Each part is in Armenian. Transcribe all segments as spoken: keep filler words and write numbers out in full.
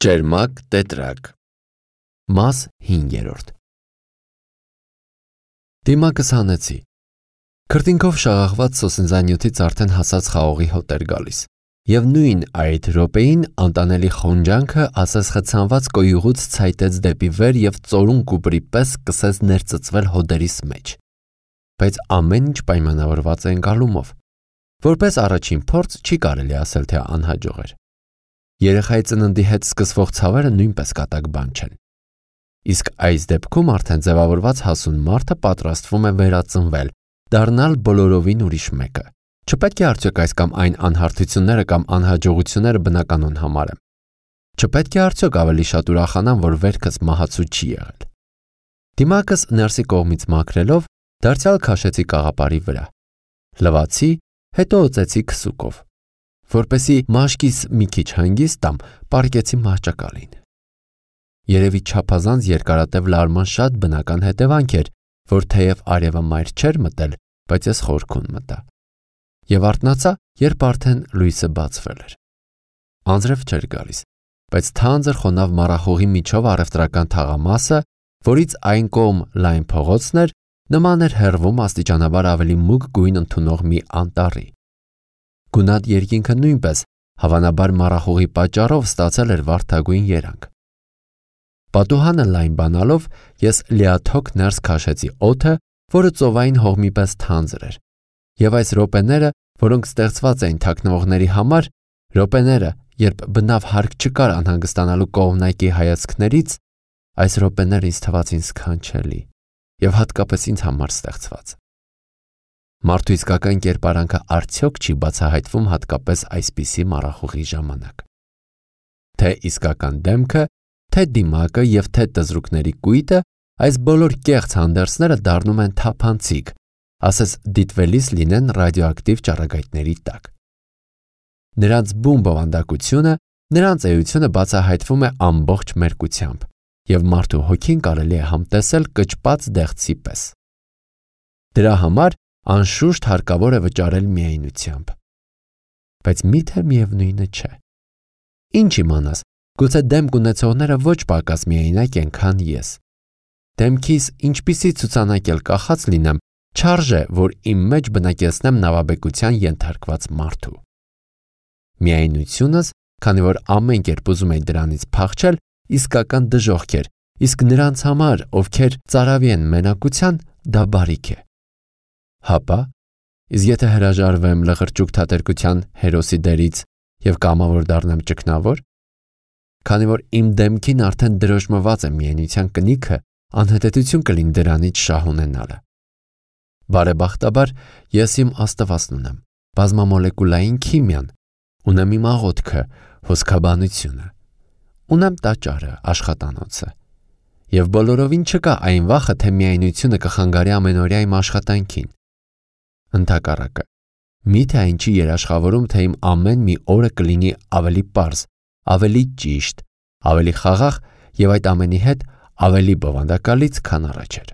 Ճերմակ տետրակ Մաս հինգերորդ Դիմակս հանեցի։ Քրտինքով շաղաղված սոսնձանյութից արդեն հասած խաղողի հոտ էր գալիս, և նույն այդ րոպեին անտանելի խոնջանքը ասես խցանված կոյուղուց ցայտեց դեպի վեր և ծորուն կուպրի պես սկսեց ներծծվել հոդերիս մեջ։ Բայց ամեն ինչ պայմանավորված է ընկալումով։ Որպես առաջին փորձ չի կարելի ասել, թե անհաջող էր։ Երեխայի ծննդի հետ սկսվող ցավերը նույնպես կատակ բան չեն։ Իսկ այս դեպքում արդեն ձևավորված հասուն մարդը պատրաստվում է վերածնվել, դառնալ բոլորովին ուրիշ մեկը։ Չպետք է արդյոք այս կամ այն անհարթությունները կամ անհաջողությունները բնականon համարեմ։ Չպետք է արդյոք ավելի շատ ուրախանամ, որ վերքս մահացու չի եղել։ Դիմակս ներսի կողմից մաքրելով դարձյալ քաշեցի կաղապարի վրա։ Լվացի, հետո օծեցի քսուկով։ Որպեսի մաշկիս մի քիչ հանգիստ տամ, պառկեցի մահճակալին։ Երևի չափազանց երկարատև լարման շատ բնական հետևանք էր, որ թեև արևը մայր չէր մտել, բայց ես խորքուն մտա։ Եվ արթնացա, երբ արդեն լույսը բացվել էր։ Անձրև չէր գալիս, բայց թանձր խոնավ մառախուղի միջով առևտրական թաղամասը, որից այն կողմ լայն փողոցն էր, նման էր հեռվում աստիճանաբար ավելի մուգ գույն ընդունող մի անտառի։ Գունատ երկինքը նույնպես, հավանաբար մառախուղի պատճառով ստացել էր վարդագույն երանգ։ Պատուհանը լայն բանալով ես լիաթոք ներս քաշեցի օդը, որը ծովային հողմի պես թանձր էր, և այս րոպեները, որոնք ստեղծված էին թաքնվողների համար, րոպեները, երբ բնավ հարկ չկար անհանգստանալու կողմնակի հայացքներից, այս րոպեները ինձ թվացին սքանչելի և հատկապես ինձ համար ստեղծված։ Մարդու իսկական կերպարանքը արդյոք չի բացահայտվում հատկապես այսպիսի մառախուղի ժամանակ։ Թե իսկական դեմքը, թե դիմակը և թե տզրուկների կույտը, այս բոլոր կեղծ հանդերձները դառնում են թափանցիկ, ասես դիտվելիս լինեն ռադիոակտիվ ճառագայթների տակ։ Նրանց բուն բովանդակությունը, նրանց էությունը բացահայտվում է ամբողջ մերկությամբ, և մարդու հոգին կարելի է համտեսել կճպած դեղցի պես։ Դրա համար անշուշտ հարկավոր է վճարել միայնությամբ։ Բայց միթե միևնույնը չէ։ Ինչ իմանաս, գուցե դեմք ունեցողները ոչ պակաս միայնակ են, քան ես։ Դեմքիս ինչպիսի ցուցանակ էլ կախած լինեմ, չարժե, որ իմ մեջ բնակեցնեմ նավաբեկության ենթարկված մարդու։ Միայնությունս, քանի որ ամեն կերպ ուզում էի դրանից փախչել, իսկական դժոխք էր, իսկ նրանց համար, ովքեր ծարավի են մենակության, դա բարիք է։ Հապա, իսկ եթե հրաժարվեմ լղրճուկ թատերկության հերոսի դերից և կամավոր դառնամ ճգնավոր, քանի որ իմ դեմքին արդեն դրոշմված է միայնության կնիքը, անհետեթություն կլինի դրանից շահ ունենալը։ Բարեբախտաբար, ես իմ աստվածն ունեմ, բազմամոլեկուլային քիմիան, ունեմ իմ աղոթքը, հոսքաբանությունը, ունեմ տաճարը, աշխատանոցը, և բոլորովին չկա այն վախը, թե միայնությունը կխանգարի ամենօրյա իմ աշխատանքին։ Ընդհակառակը, միթե այն չի երաշխավորում, թե իմ ամեն մի օրը կլինի ավելի պարզ, ավելի ճիշտ, ավելի խաղաղ և այդ ամենի հետ ավելի բովանդակալից, քան առաջ էր։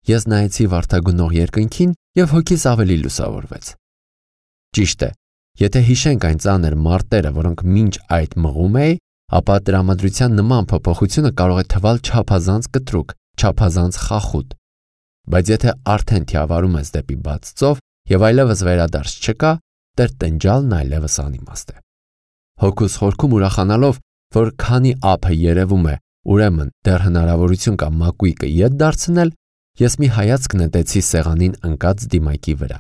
Ես նայեցի վարդագնող երկնքին և հոգիս ավելի լուսավորվեց։ Ճիշտ է, եթե հիշենք այն ծանր մարտերը, որոնք մինչ այդ մղում էի, ապա տրամադրության նման փոփոխությունը կարող է թվալ չափազանց կտրուկ, չափազանց խախուտ։ Բայց եթե արդեն թիավարում ես դեպի բաց ծով և այլևս վերադարձ չկա, տրտնջալն այլևս անիմաստ է։ Հոգուս խորքում ուրախանալով, որ քանի ափը երևում է, ուրեմն դեռ հնարավորություն կա մակույկը ետ դարձնել, ես մի հայացք նետեցի սեղանին ընկած դիմակի վրա։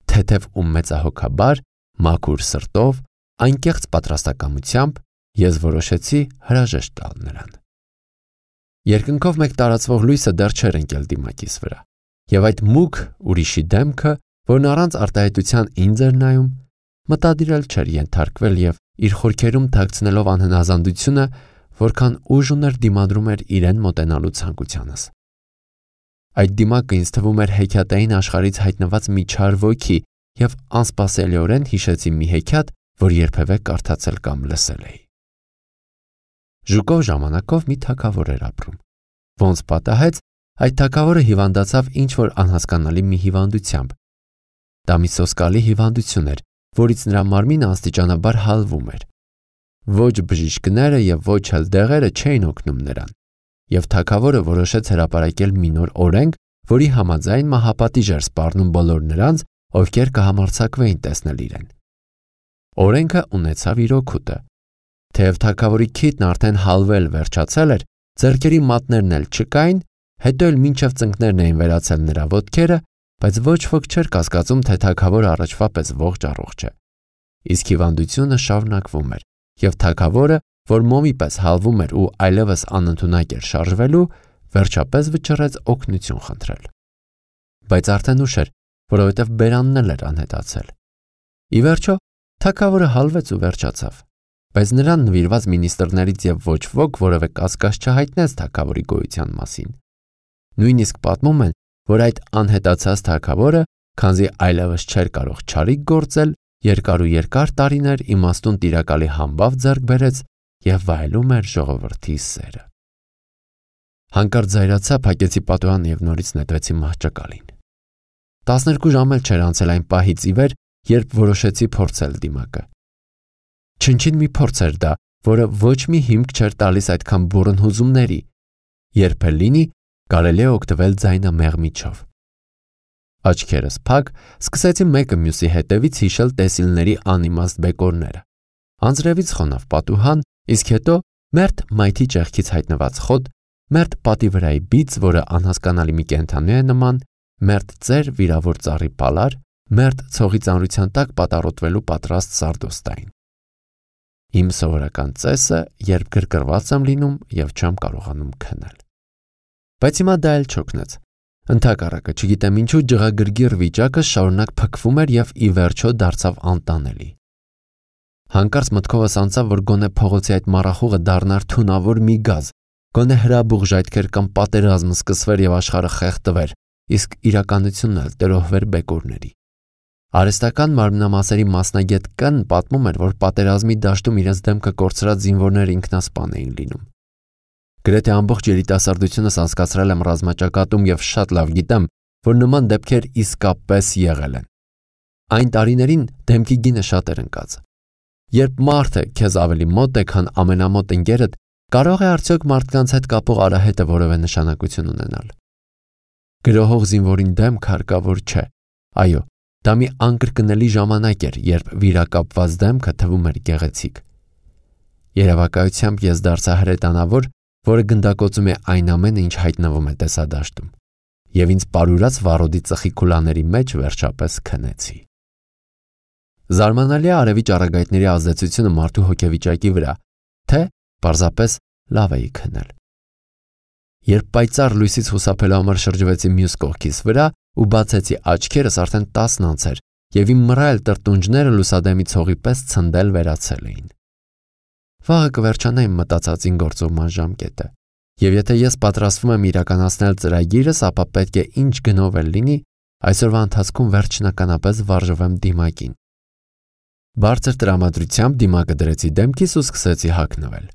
Թեթև ու մեծահոգաբար, մաքուր սրտով, անկեղծ պատրաստակամությամբ ես որոշեցի հրաժեշտ տալ նրան։ Երկնքով մեկ տարածվող լույսը դեռ չէր ընկել դիմակիս վրա, և այդ մուգ ուրիշի դեմքը, որն առանց արտահայտության ինձ էր նայում, մտադիր էլ չէր ենթարկվել և իր խորքերում թաքցնելով անհնազանդությունը, որքան ուժ ուներ դիմադրում էր իրեն մոտենալու ցանկությանս։ Այդ դիմակը ինձ թվում էր հեքիաթային աշխարհից հայտնված մի չար ոգի և անսպասելիորեն հիշեցի մի հեքիաթ, որ երբևէ կարդացել կամ լսել էի։ Ժուկով ժամանակով մի թագավոր էր ապրում։ Ոնց պատահեց, այդ թագավորը հիվանդացավ ինչ-որ անհասկանալի մի հիվանդությամբ։ Դա մի սոսկալի հիվանդություն էր, որից նրա մարմինը աստիճանաբար հալվում էր։ Ոչ բժիշկները եւ ոչ էլ դեղերը չէին օգնում նրան, եւ թագավորը որոշեց հրապարակել մի նոր օրենք, որի համաձայն մահապատիժ էր սպառնում բոլոր նրանց, ովքեր կհամարձակվեին տեսնել իրեն։ Օրենքը ունեցավ իր օգուտը։ Թեև թագավորի քիթն արդեն հալվել վերջացել էր, ձեռքերի մատներն էլ չկային, հետո էլ մինչև ծնկներն էին վերացել նրա ոտքերը, բայց ոչ ոք չէր կասկածում, թե թագավորը առաջվա պես ողջ առողջ է։ Իսկ հիվանդությունը շարունակվում էր, եւ թագավորը, որ մոմի պես հալվում էր ու այլևս անընդունակ էր շարժվելու, վերջապես վճռեց օգնություն խնդրել։ Բայց արդեն ուշ էր, որովհետև բերանն էլ էր անհետացել։ Ի վերջո, թագավորը հալվեց ու վերջացավ, բայց նրան նվիրված մինիստրներից եւ ոչ ոք որևէ կասկած չհայտնեց թագավորի գոյության մասին։ Նույնիսկ պատմում են, որ այդ անհետացած թագավորը, քանզի այլևս չէր կարող չարիք գործել, երկար ու երկար տարիներ իմաստուն տիրակալի համբավ ձեռք բերեց եւ վայելում էր ժողովրդի սերը։ Հանկարծ զայրացա, փակեցի պատուհանը եւ նորից նետվեցի մահճակալին։ տասներկու ժամ էլ չէր անցել այն պահից ի վեր, երբ որոշեցի փորձել դիմակը։ Չնչին մի փորձ էր դա, որը ոչ մի հիմք չէր տալիս այդքան բուռն հուզումների, երբ էլ լինի, կարելի է օգտվել ձայնամեղմիչով։ Աչքերս փակ, սկսեցի մեկը մյուսի հետևից հիշել տեսիլների անիմաստ բեկորները։ Անձրևից խոնավ պատուհան, իսկ հետո մերթ մայթի ճեղքից հայտնված խոտ, մերթ պատի վրայի բիծ, որը անհասկանալի մի կենդանու է նման, մերթ ծեր վիրավոր ծառի պալար, մերթ ցողի ծանրության տակ պատառոտվելու պատրաստ սարդոստային։ Իմ սովորական ծեսը, երբ գրգռված եմ լինում եւ չեմ կարողանում քնել։ Բայց հիմա դա էլ չօգնեց։ Ընդհակառակը, չգիտեմ ինչու, ջղագրգիռ վիճակը շարունակ փքվում էր եւ ի վերջո դարձավ անտանելի։ Հանկարծ մտքովս անցավ, որ գոնե փողոցի այդ մառախուղը դառնար թունավոր մի գազ, գոնե հրաբուխ ժայթքեր կամ պատերազմ սկսվեր եւ աշխարհը խեղդվեր, իսկ իրականությունն էլ տրոհվեր բեկորների։ Արհեստական մարմնամասերի մասնագետ Կն պատմում էր, որ պատերազմի դաշտում իրենց դեմքը կորցրած զինվորները ինքնասպան էին լինում։ Գրեթե ամբողջ երիտասարդությունս անցկացրել եմ ռազմաճակատում եւ շատ լավ գիտեմ, որ նման դեպքեր իսկապես եղել են։ Այն տարիներին դեմքի գինը շատ էր ընկած։ Երբ մարդը քեզ ավելի մոտ է, քան ամենամոտ ընկերդ, կարող է արդյոք մարդկանց հետ կապող արահետը որևէ նշանակություն ունենալ։ Գրոհող զինվորին դեմք հարկավոր չէ։ Այո, դա մի անկրկնելի ժամանակ էր, երբ վիրակապված դեմքը թվում էր գեղեցիկ։ Երևակայությամբ ես դարձա հրետանավոր, որը գնդակոծում է այն ամենը, ինչ հայտնվում է տեսադաշտում, եւ ինձ պարուրած վառոդի ծխի քուլաների մեջ վերջապես քնեցի։ Զարմանալի է արևի ճառագայթների ազդեցությունը մարդու հոգեվիճակի վրա, թե պարզապես լավ էի քնել։ Երբ պայծառ լույսից խուսափելու համար շրջվեցի մյուս կողքիս վրա ու բացեցի աչքերս, արդեն տասն անց էր եւ իմ մռայլ տրտունջները լուսադեմի ցողի պես ցնդել վերացել էին։ Վաղը կվերջանա իմ մտածածին գործողման ժամկետը, եւ եթե ես պատրաստվում եմ իրականացնել ծրագիրս, ապա պետք է ինչ գնով էլ լինի, այսօրվա ընթացքում վերջնականապես վարժվեմ դիմակին։ Բարձր տրամադրությամբ դիմակը դրեցի դեմքիս ու սկսեցի հագնվել։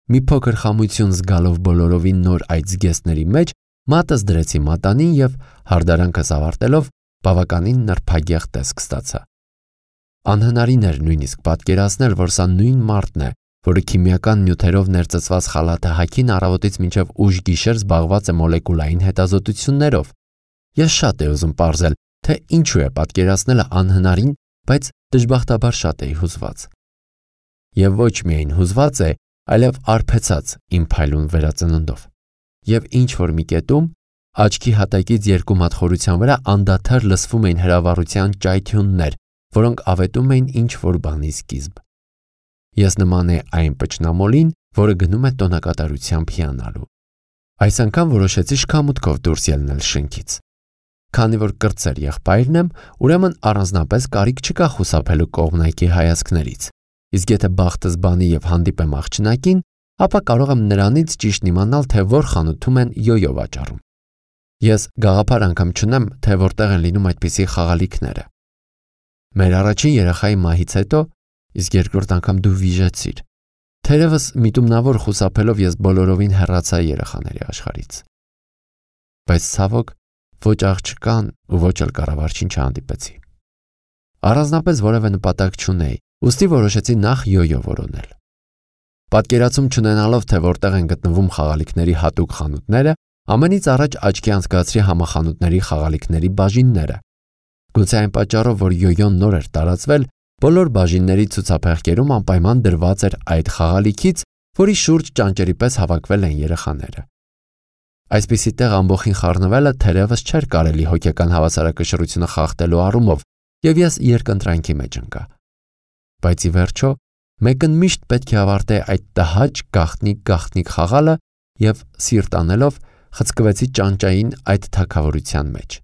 Մի փոքր խամություն զգալով բոլորովին նոր այդ զգեստների մեջ, մատս դրեցի մատանին եւ հարդարանքս ավարտելով բավականին նրբագեղ տեսք ստացա։ Անհնարին էր նույնիսկ պատկերացնել, որ սա նույն մարդն է, որը քիմիական նյութերով ներծծված խալաթը հագին առավոտից մինչև ուշ գիշեր զբաղված է մոլեկուլային հետազոտություններով։ Ես շատ էի ուզում պարզել, թե ինչու է պատկերացնելը անհնարին, բայց դժբախտաբար շատ էի հուզված։ Եվ ոչ միայն հուզված է, այլև արբեցած իմ փայլուն վերածննդով։ Եվ ինչ որ մի կետում, աչքի հատակից երկու մատ խորության վրա անդադար լսվում էին հրավառության ճայթյուններ, որոնք ավետում էին ինչ որ բանի սկիզբ։ Ես նման է այն պճնամոլին, որը գնում է տոնակատարությամբ հիանալու։ Այս անգամ որոշեցի շքամուտքով դուրս ելնել շենքից։ Քանի որ կրտսեր եղբայրն եմ, ուրեմն առանձնապես կարիք չկա խուսափելու կողմնակի հայացքներից։ Իսկ եթե բախտս բանի եւ հանդիպեմ աղջնակին, ապա կարող եմ նրանից ճիշտ իմանալ, թե որ խանութում են յոյո վաճառում։ Ես գաղափար անգամ չունեմ, թե որտեղ են լինում այդպիսի խաղալիքները։ Մեր առաջին երեխայի մահից հետո, իսկ երկրորդ անգամ դու վիժեցիր։ Թերևս միտումնավոր խուսափելով ես բոլորովին հեռացա երեխաների աշխարհից։ Բայց ցավոք, ոչ աղջկան ու ոչ էլ կառավարչին չհանդիպեցի։ Առանձնապես որևէ նպատակ չունեի, ուստի որոշեցի նախ յոյո որոնել։ Պատկերացում չունենալով, թե որտեղ են գտնվում խաղալիքների հատուկ խանութները, ամենից առաջ աչքի անցկացրի համախանութների խաղալիքների բաժինները։ Գուցե այն պատճառով, որ յոյոն նոր էր տարածվել, բոլոր բաժինների ցուցափեղկերում անպայման դրված էր այդ խաղալիքից, որի շուրջ ճանճերի պես հավաքվել են երեխաները։ Այսպիսի տեղ ամբողջին խառնվելը թերևս չէր կարելի հոգեկան հավասարակշռությունը խախտելու առումով, եւ ես երկընտրանքի մեջ ընկա։ Բայց ի վերջո, մեկն միշտ պետք է ավարտե այդ տհաճ գաղտնիք-գաղտնիք խաղալը եւ սիրտ անելով խցկվեցի ճանճային այդ թագավորության մեջ։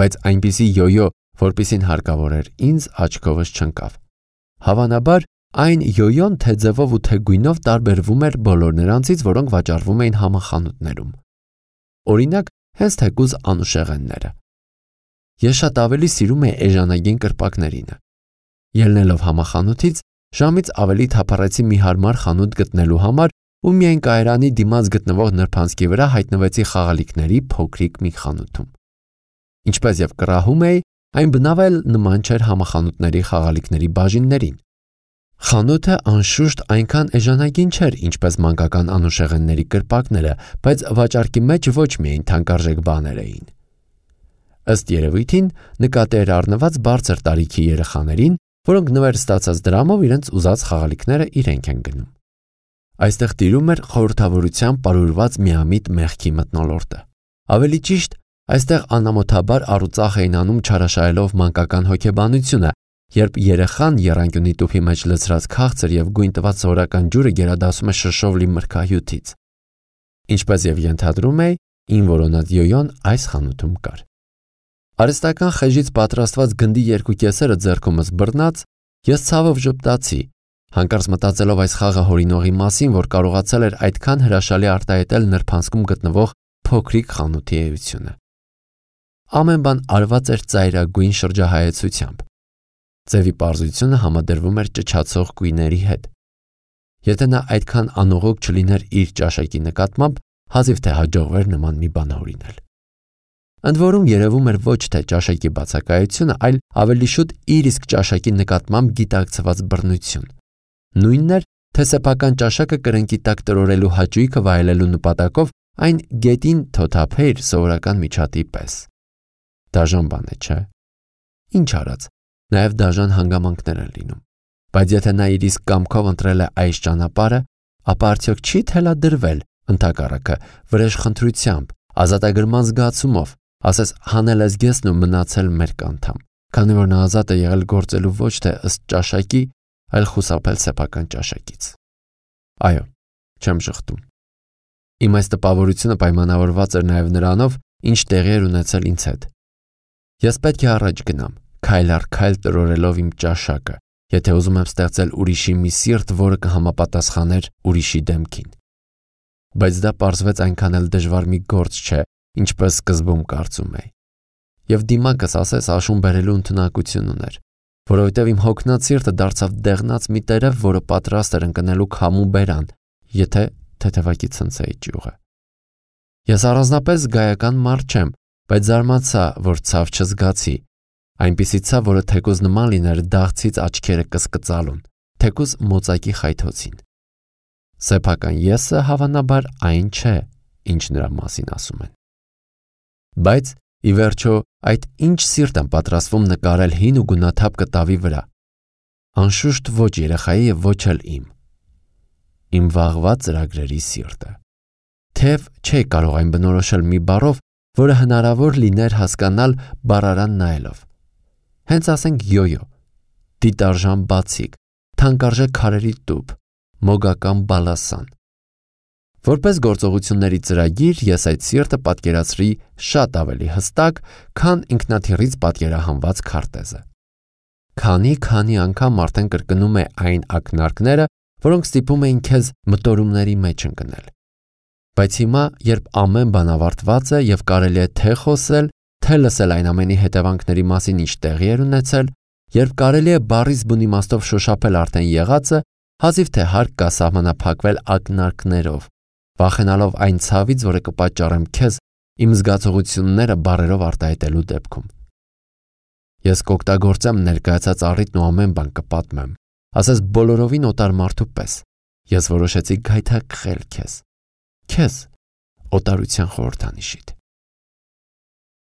Բայց այնպիսի յոյո, որպիսին հարկավոր էր ինձ, աչքովս չընկավ։ Հավանաբար, այն յոյոն թե ձևով ու թե գույնով տարբերվում էր բոլոր նրանցից, որոնք վաճառվում էին համախանութներում։ Օրինակ, հենց թեկուզ անուշեղենները։ Ես շատ ավելի սիրում էի էժանագին կրպակներինը։ Ելնելով համախանութից, ժամից ավելի թափառեցի մի հարմար խանութ գտնելու համար ու միայն կայարանի դիմաց գտնվող նրբանցքի վրա հայտնվեցի խաղալիքների փոքրիկ մի խանութում։ Ինչպես եւ կռահում էի, այն բնավ էլ նման չէր համախանութների խաղալիքների բաժիններին։ Խանութը անշուշտ այնքան էժանագին չէր, ինչպես մանկական անուշեղենների կրպակները, բայց վաճառքի մեջ ոչ միայն թանկարժեք բաներ էին։ Ըստ երևույթին, նկատի էր առնված բարձր տարիքի երեխաներին, որոնք նվեր ստացած դրամով իրենց ուզած խաղալիքները իրենք են գնում։ Այստեղ տիրում էր խորհրդավորության պարուրված միամիտ մեղքի մթնոլորտը։ Ավելի ճիշտ, այստեղ անամոթաբար առուծախ էին անում չարաշահելով մանկական հոգեբանությունը, երբ երեխան եռանկյունի տուփի մեջ լցրած քաղցր եւ գույն տված սովորական ջուրը գերադասում է շշով լի մրգահյութից։ Ինչպես եւ ենթադրում էի, ին որոնած յոյոն այս խանութում կար։ Արհեստական խեժից պատրաստված գնդի երկու կեսերը ձեռքումս բռնած, ես ցավով ժպտացի, հանկարծ մտածելով այս խաղը հորինողի մասին, որ կարողացել էր այդքան հրաշալի արտահայտել նրբանցքում գտնվող փոքրիկ խանութի էությունը։ Ամեն բան արված էր ծայրագույն շրջահայեցությամբ։ Ձևի պարզությունը համադրվում էր ճչացող գույների հետ։ Եթե նա այդքան անողոք չլիներ իր ճաշակի նկատմամբ, հազիվ թե հաջողվեր նման մի բան հորինել։ Ընդ որում երևում էր ոչ թե ճաշակի բացակայությունը, այլ ավելի շուտ իր իսկ ճաշակի նկատմամբ գիտակցված բռնություն։ Նույնն էր, թե սեփական ճաշակը կրնկի տակ տրորելու հաճույքը վայելելու նպատակով այն գետին թոթափեր սովորական միջատի պես։ Դաժան բան է, չէ՞։ Ինչ արած, նաև դաժան հանգամանքներ են լինում։ Բայց եթե նա իր իսկ կամքով ընտրել է այս ճանապարհը, ապա արդյոք չի թելադրվել ընդհակառակը վրեժխնդրությամբ, ազատագրման զգացումով, ասես հանել զգեսն ու մնացել մեր կանթամ, քանի որ նա ազատ է եղել գործելու ոչ թե ըստ ճաշակի, այլ խուսափել սեփական ճաշակից։ Այո, չեմ շղթում։ Իմ այս տպավորությունը պայմանավորված էր նաև նրանով, ինչ տեղի էր ունեցել ինձ հետ։ Ես պետք է առաջ գնամ, քայլ առ քայլ տրորելով իմ ճաշակը, եթե ուզում եմ ստեղծել ուրիշի մի սիրտ, որը կհամապատասխաներ ուրիշի դեմքին։ Բայց դա պարզվեց այնքան էլ դժվար մի գործ չէ, ինչպես սկզբում կարծում էի։ Եվ դիմակս ասես աշուն բերելու ընդունակություն ուներ, որովհետև իմ հոգնած սիրտը դարձավ դեղնած մի տերև, որը պատրաստ էր ընկնելու քամու բերան, եթե թեթևակի ցնցեի ճյուղը։ Ես առանձնապես զգայական մարդ չեմ, բայց զարմացա, որ ցավ չզգացի, այնպիսի ցավ, որը թեկուզ նման լիներ դաղցից աչքերը կսկծալուն, թեկուզ մոծակի խայթոցին։ Սեփական եսը հավանաբար այն չէ, ինչ նրա մասին ասում են։ Բայց ի վերջո այդ ինչ սիրտ եմ պատրաստվում նկարել հին ու գունաթափ կտավի վրա։ Անշուշտ ոչ երեխայի եւ ոչ էլ իմ։ Իմ վաղվա ծրագրերի սիրտը։ Թեև չէի կարող այն բնորոշել մի բառով, որը հնարավոր լիներ հասկանալ բառարան նայելով։ Հենց ասենք յոյո, դիտարժան բացիկ, թանկարժեք քարերի տուփ, մոգական բալասան։ Որպես գործողությունների ծրագիր ես այդ սիրտը պատկերացրի շատ ավելի հստակ, քան ինքնաթիռից պատկերահանված քարտեզը։ Քանի-քանի անգամ արդեն կրկնում է այն ակնարկները, որոնք ստիպում էին քեզ մտորումների մեջ ընկնել։ Բայց հիմա, երբ ամեն բան ավարտված է եւ կարելի է թե խոսել, թե լսել այն ամենի հետևանքների մասին, ինչ տեղի էր ունեցել, երբ կարելի է բառից բուն իմաստով շոշափել արդեն եղածը, հազիվ թե հարկ կա սահմանափակվել ակնարկներով, վախենալով այն ցավից, որը կպատճառեմ քեզ իմ զգացողությունները բառերով արտահայտելու դեպքում։ Ես կօգտագործեմ ներկայացած առիթն ու ամեն բան կպատմեմ, ասես բոլորովին օտար մարդու պես, Ես որոշեցի գայթակղել քեզ։ Քեզ օտարության խորհրդանիշիդ։